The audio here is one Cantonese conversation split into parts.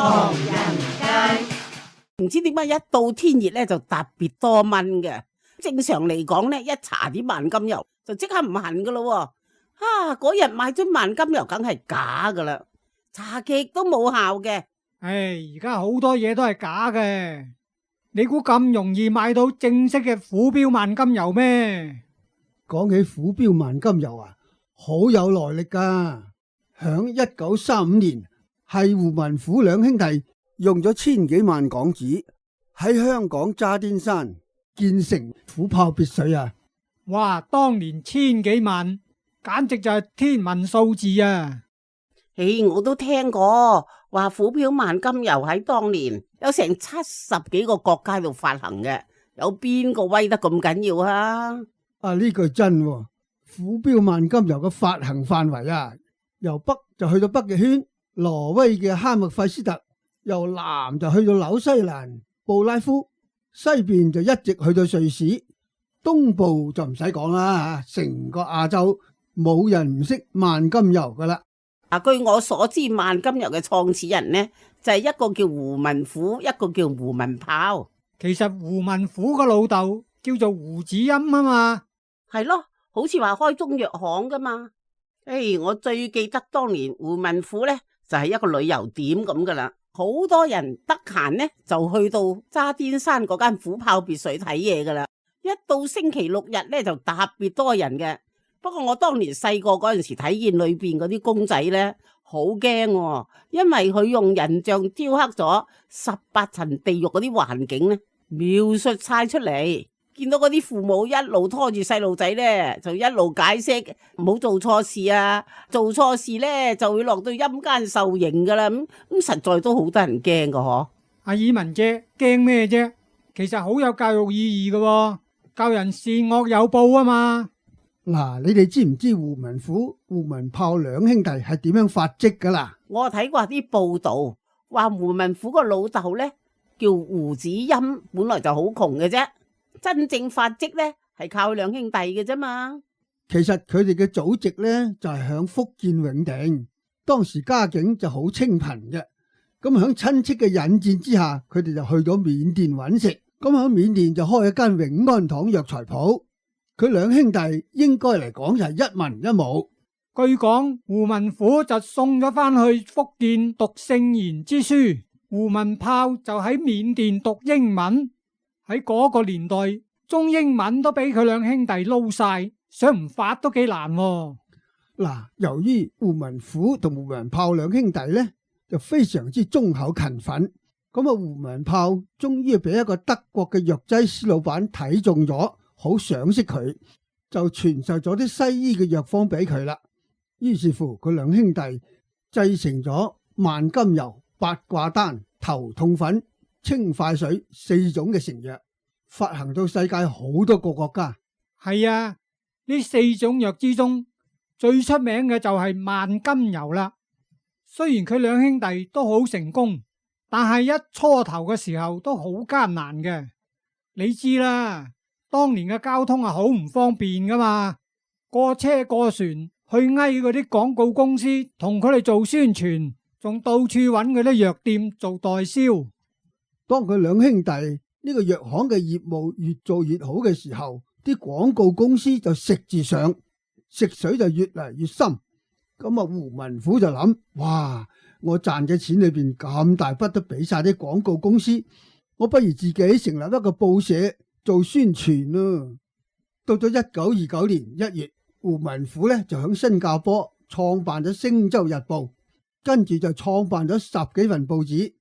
唐人街。唔知點解一到天熱咧就特別多蚊嘅。正常嚟講咧，一搽啲萬金油就即刻唔痕噶咯。嗰日買樽萬金油梗係假噶啦，搽極都冇效嘅。唉，而家好多嘢都係假嘅，你估咁容易買到正式嘅虎標萬金油咩？講起虎標萬金油啊，好有來歷噶。響1935年，係胡文虎兩兄弟用咗千幾萬港紙喺香港渣甸山建成虎豹別墅啊！哇，當年千幾萬，簡直就係天文數字啊！我都聽過話虎標萬金油喺當年有成70幾個國家度發行嘅，有邊個威得咁緊要啊？呢句真喎，虎標萬金油嘅發行範圍啊，由北就去到北極圈、挪威嘅哈默費斯特，由南就去到紐西蘭布拉夫，西邊就一直去到瑞士，東部就唔使講啦，成個亞洲冇人唔識萬金油噶啦。據我所知，萬金油嘅創始人呢，就係一個叫胡文虎，一個叫胡文豹。其實胡文虎個老豆叫做胡子欽啊嘛，係咯，好似話開中藥行噶嘛。我最記得當年胡文虎呢，就係一個旅遊點咁噶啦，好多人得閒呢就去到渣甸山嗰間虎豹別墅睇嘢噶啦。一到星期六日呢，就特別多人嘅。不過我當年細個嗰陣時睇見裏邊嗰啲公仔呢，好驚，因為佢用人像雕刻咗18層地獄嗰啲環境呢，描述晒出嚟。見到嗰啲父母一路拖住細路仔呢，就一路解釋唔好做錯事啊，做錯事呢就會落到陰間受刑噶啦。咁實在都好得人驚噶嗬。阿爾文姐驚咩啫？其實好有教育意義噶，教人善惡有報啊嘛。嗱，你哋知唔知胡文虎、胡文豹兩兄弟係點樣發跡噶啦？我睇過啲報道，話胡文虎個老豆呢叫胡子欽，本來就好窮嘅啫，真正發跡呢係靠兩兄弟嘅啫嘛。其實佢哋嘅祖籍呢就係響福建永定，當時家境就好清貧嘅。咁響親戚嘅引薦之下，佢哋就去咗緬甸揾食。咁響緬甸就開一間永安堂藥材鋪。佢兩兄弟應該嚟講就係一文一武。據講胡文虎就送咗翻去福建讀聖賢之書，胡文豹就喺緬甸讀英文。喺嗰個年代，中英文都俾佢兩兄弟撈晒，想唔發都幾難喎。嗱，由於胡文虎同胡文豹兩兄弟呢，就非常之忠厚勤奮，咁胡文豹終於俾一個德國嘅藥劑師老闆睇中咗，好賞識佢，就傳授咗啲西醫嘅藥方俾佢啦。於是乎，佢兩兄弟製成咗萬金油、八卦丹、頭痛粉、清快水4種嘅成藥，發行到世界好多個國家。係啊，呢4種藥之中最出名嘅就係萬金油啦。雖然佢兩兄弟都好成功，但係一初頭嘅時候都好艱難嘅。你知啦，當年嘅交通係好唔方便噶嘛，過車過船去嗌嗰啲廣告公司同佢哋做宣傳，仲到處揾嗰啲藥店做代銷。當佢兩兄弟呢個藥行嘅業務越做越好嘅時候，啲廣告公司就食住上，食水就越嚟越深。咁胡文虎就諗，哇！我賺嘅錢裏邊咁大筆都俾晒啲廣告公司，我不如自己成立一個報社做宣傳咯。到咗1929年1月，胡文虎呢就響新加坡創辦咗《星洲日報》，跟住就創辦咗10幾份報紙。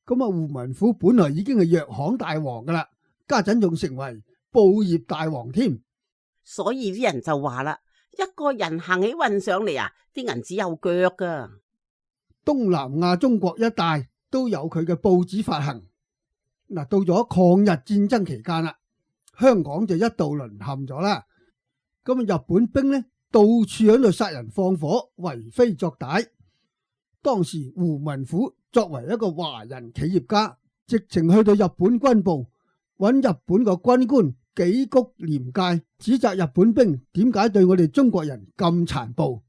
咁胡文虎本來已經係藥行大王噶啦，家陣仲成為報業大王添。所以啲人就話啦，一個人行起運上嚟啊，啲銀紙有腳噶。東南亞中國一帶都有佢嘅報紙發行。嗱，到咗抗日戰爭期間啦，香港就一度淪陷咗啦。咁日本兵呢，到處喺度殺人放火，為非作歹。當時胡文虎作為一個華人企業家，直情去到日本軍部揾日本個軍官紀谷廉介，指責日本兵點解對我哋中國人咁殘暴。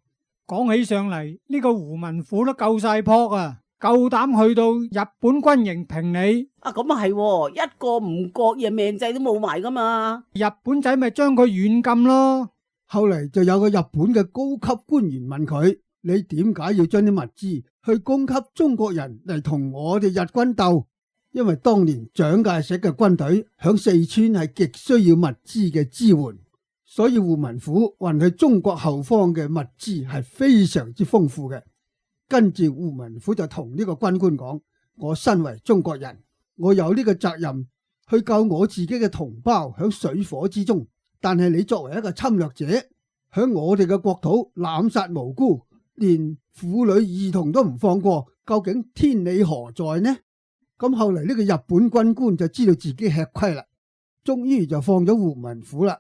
講起上嚟，呢個胡文虎都夠晒撲啊！夠膽去到日本軍營評理。咁啊係，一個唔覺意命仔都冇埋噶嘛。日本仔咪將佢軟禁咯。後嚟就有個日本嘅高級官員問佢：你點解要將啲物資去供給中國人嚟同我哋日軍鬥？因為當年蔣介石嘅軍隊響四川係極需要物資嘅支援，所以胡文虎運去中國後方嘅物資係非常之豐富嘅。跟住胡文虎就同呢個軍官講：我身為中國人，我有呢個責任去救我自己嘅同胞響水火之中。但係你作為一個侵略者，響我哋嘅國土濫殺無辜，連婦女兒童都唔放過，究竟天理何在呢？咁後嚟呢個日本軍官就知道自己吃虧啦，終於就放咗胡文虎啦。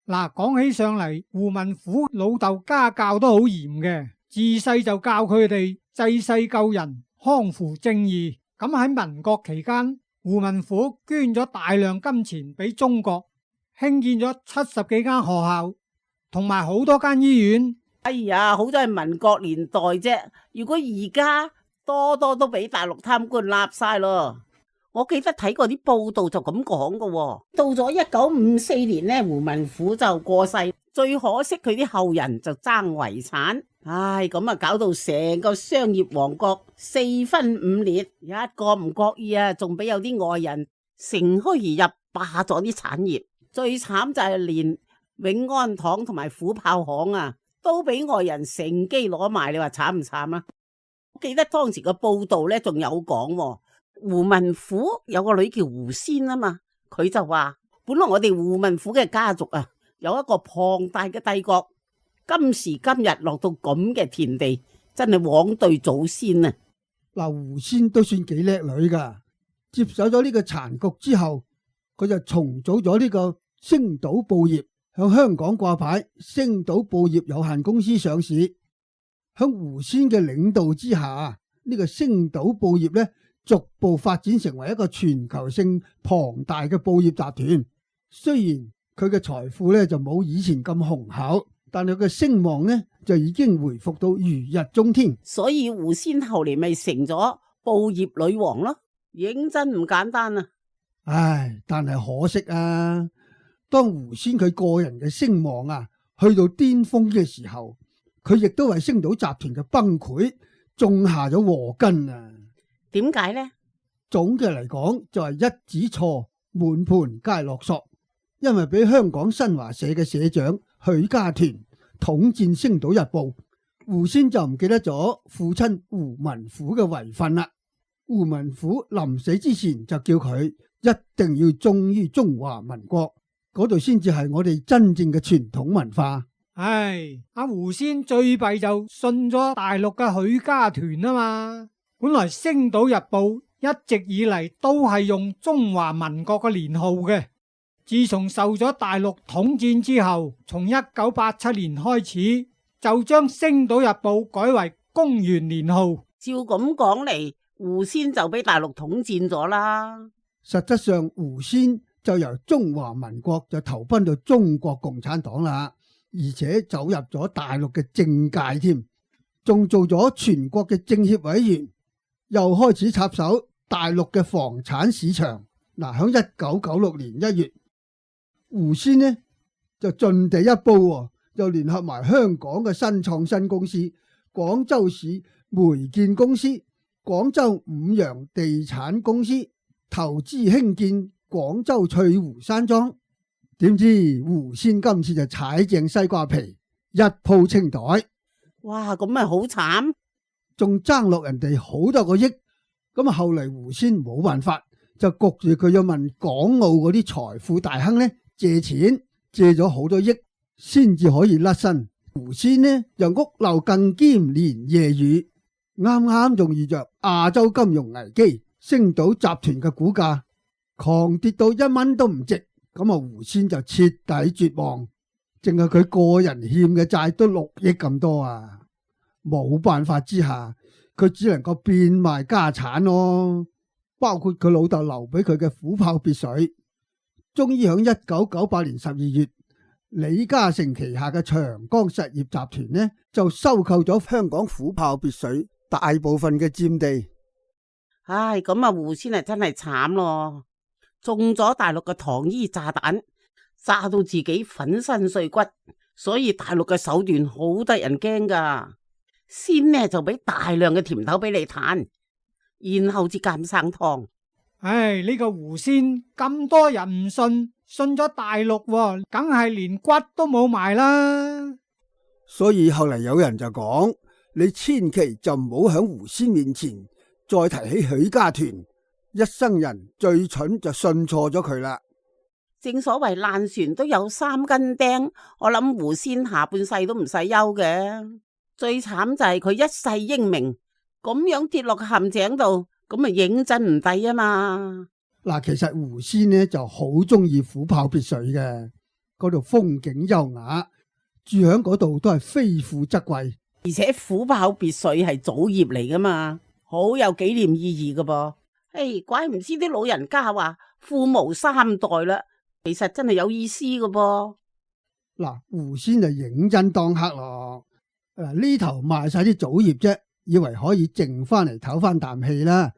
嗱，講起上嚟，胡文虎老豆家教都好嚴嘅，自細就教佢哋濟世救人、匡扶正義。咁喺民國期間，胡文虎捐咗大量金錢俾中國，興建咗70幾間學校，同埋好多間醫院。哎呀，好多係民國年代啫，如果而家多多都俾大陸貪官立晒咯。我記得睇過啲報道就咁講噶。到咗1954年呢，胡文虎就過世，最可惜佢啲後人就爭遺產。唉，咁啊搞到成個商業王國4分5裂，一個唔覺意啊，仲俾有啲外人乘虛而入，霸咗啲產業。最慘就係連永安堂同埋虎豹行啊，都俾外人乘機攞埋。你話慘唔慘啊？我記得當時個報道咧，仲有講胡文虎有個女叫胡仙啊嘛，佢就話本來我哋胡文虎嘅家族啊，有一個龐大嘅帝國，今時今日落到咁嘅田地，真係枉對祖先啊！嗱，胡仙都算幾叻女噶，接手咗呢個殘局之後，佢就重組咗呢個星島報業，向香港掛牌，星島報業有限公司上市。響胡仙嘅領導之下，呢個星島報業呢，逐步發展成為一個全球性龐大嘅報業集團。雖然佢嘅財富呢就冇以前咁雄厚，但係佢嘅聲望呢就已經回復到如日中天。所以胡仙後嚟咪成咗報業女王咯，認真唔簡單啊！唉，但係可惜啊，當胡仙佢個人嘅聲望啊去到巔峰嘅時候，佢亦都為星島集團嘅崩潰種下咗禍根啊！點解呢？總嘅嚟講就係一子錯，滿盤皆落索。因為俾香港新華社嘅社長許家屯統戰星島日報，胡仙就唔記得咗父親胡文虎嘅遺訓啦。胡文虎臨死之前就叫佢一定要忠於中華民國，嗰度先至係我哋真正嘅傳統文化。唉，阿胡仙最弊就信咗大陸嘅許家屯啊嘛。本來星島日報一直以嚟都係用中華民國嘅年號嘅，自從受咗大陸統戰之後，從1987年開始就將星島日報改為公元年號。照咁講嚟，胡仙就俾大陸統戰咗啦。實質上胡仙就由中華民國就投奔到中國共產黨啦，而且走入咗大陸嘅政界添，仲做咗全國嘅政協委員，又開始插手大陸嘅房產市場。嗱，響1996年1月，胡仙呢就盡地一步，又聯合埋香港嘅新創新公司、廣州市煤建公司、廣州五羊地產公司，投資興建廣州翠湖山莊。點知胡仙今次就踩正西瓜皮，一鋪清袋。哇，咁咪好慘，仲爭落人哋好多個億。咁啊，後嚟胡仙冇辦法，就焗住佢要問港澳嗰啲財富大亨呢借錢，借咗好多億先至可以甩身。胡仙呢又屋漏更兼連夜雨，啱啱仲遇着亞洲金融危機，星島集團嘅股價狂跌到1蚊都唔值。咁啊，胡仙就徹底絕望，淨係佢個人欠嘅債都6億咁多啊！冇辦法之下，佢只能夠變賣家產咯，包括佢老豆留俾佢嘅虎豹別墅。終於喺1998年12月，李嘉誠旗下嘅長江實業集團呢就收購咗香港虎豹別墅大部分嘅佔地。唉，咁啊胡仙真係慘咯，中咗大陸嘅糖衣炸彈，炸到自己粉身碎骨，所以大陸嘅手段好得人驚噶。先呢就俾大量嘅甜頭俾你嘆，然後至鑒生湯。唉，呢個狐仙咁多人唔信，信咗大陸喎，梗係連骨都冇埋啦。所以後嚟有人就講，你千祈就唔好響狐仙面前再提起許家屯，一生人最蠢就信錯咗佢啦。正所謂爛船都有三根釘，我諗狐仙下半世都唔使憂嘅。最慘就係佢一世英名，咁樣跌落陷阱度，咁咪認真唔抵啊嘛！嗱，其實狐仙呢就好中意虎豹別墅嘅，嗰度風景優雅，住響嗰度都係非富則貴，而且虎豹別墅係祖業嚟噶嘛，好有紀念意義噶噃。誒，怪唔知啲老人家話富無三代啦，其實真係有意思噶噃。嗱，狐仙就認真當黑咯。呢頭賣晒啲祖業啫，以為可以剩翻嚟唞翻啖氣啦。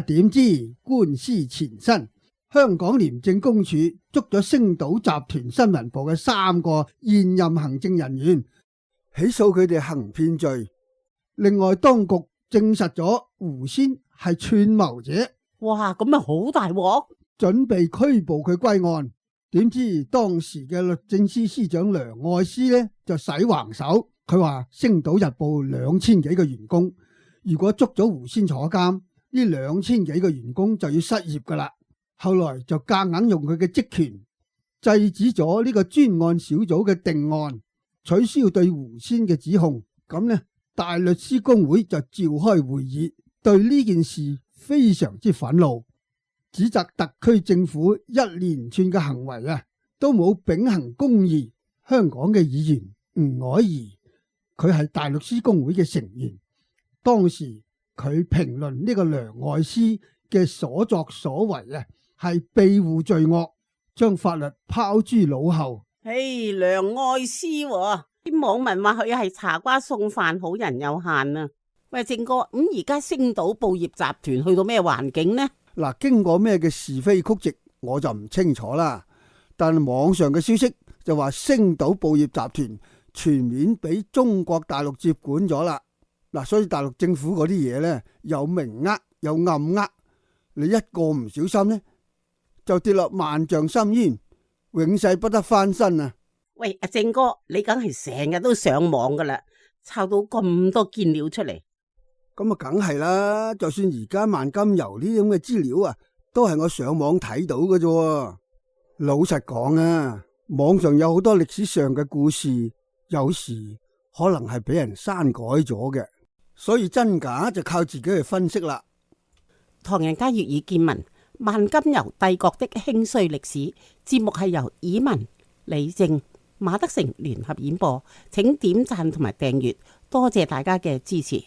點知官司纏身，香港廉政公署捉咗星島集團新聞部嘅3個現任行政人員，起訴佢哋行騙罪。另外，當局證實咗狐仙係串謀者。哇，咁咪好大鑊，準備拘捕佢歸案。點知當時嘅律政司司長梁愛詩呢就使橫手。佢話星島日報2000幾個員工，如果捉咗狐仙坐監，呢2000幾個員工就要失業噶啦。後來就夾硬用佢嘅職權制止咗呢個專案小組嘅定案，取消對狐仙嘅指控。咁呢，大律師公會就召開會議，對呢件事非常之憤怒，指責特區政府一連串嘅行為都冇秉行公義。香港嘅議員吳靄儀，佢係大律師公會嘅成員，當時佢評論呢個梁愛詩嘅所作所為係庇護罪惡，將法律拋諸腦後。嘿，梁愛詩啲網民話佢係茶瓜送飯，好人有限啊。喂，正哥，咁而家星島報業集團去到咩環境呢？嗱，經過咩嘅是非曲直，我就唔清楚啦。但網上嘅消息就話星島報業集團全面俾中國大陸接管咗啦。嗱，所以大陸政府嗰啲嘢呢，有明呃有暗呃，你一個唔小心呢，就跌落萬丈深淵，永世不得翻身啊！喂，阿正哥，你梗係成日都上網噶啦，抄到咁多堅料出嚟。咁啊，梗係啦！就算而家萬金油呢啲咁嘅資料都係我上網睇到嘅啫。老實講網上有好多歷史上嘅故事，有時可能係俾人刪改咗嘅，所以真假就靠自己去分析啦。唐人街粵語見聞，萬金油帝國的興衰歷史節目係由以文、李正、馬德成聯合演播，請點讚同埋訂閱，多謝大家嘅支持。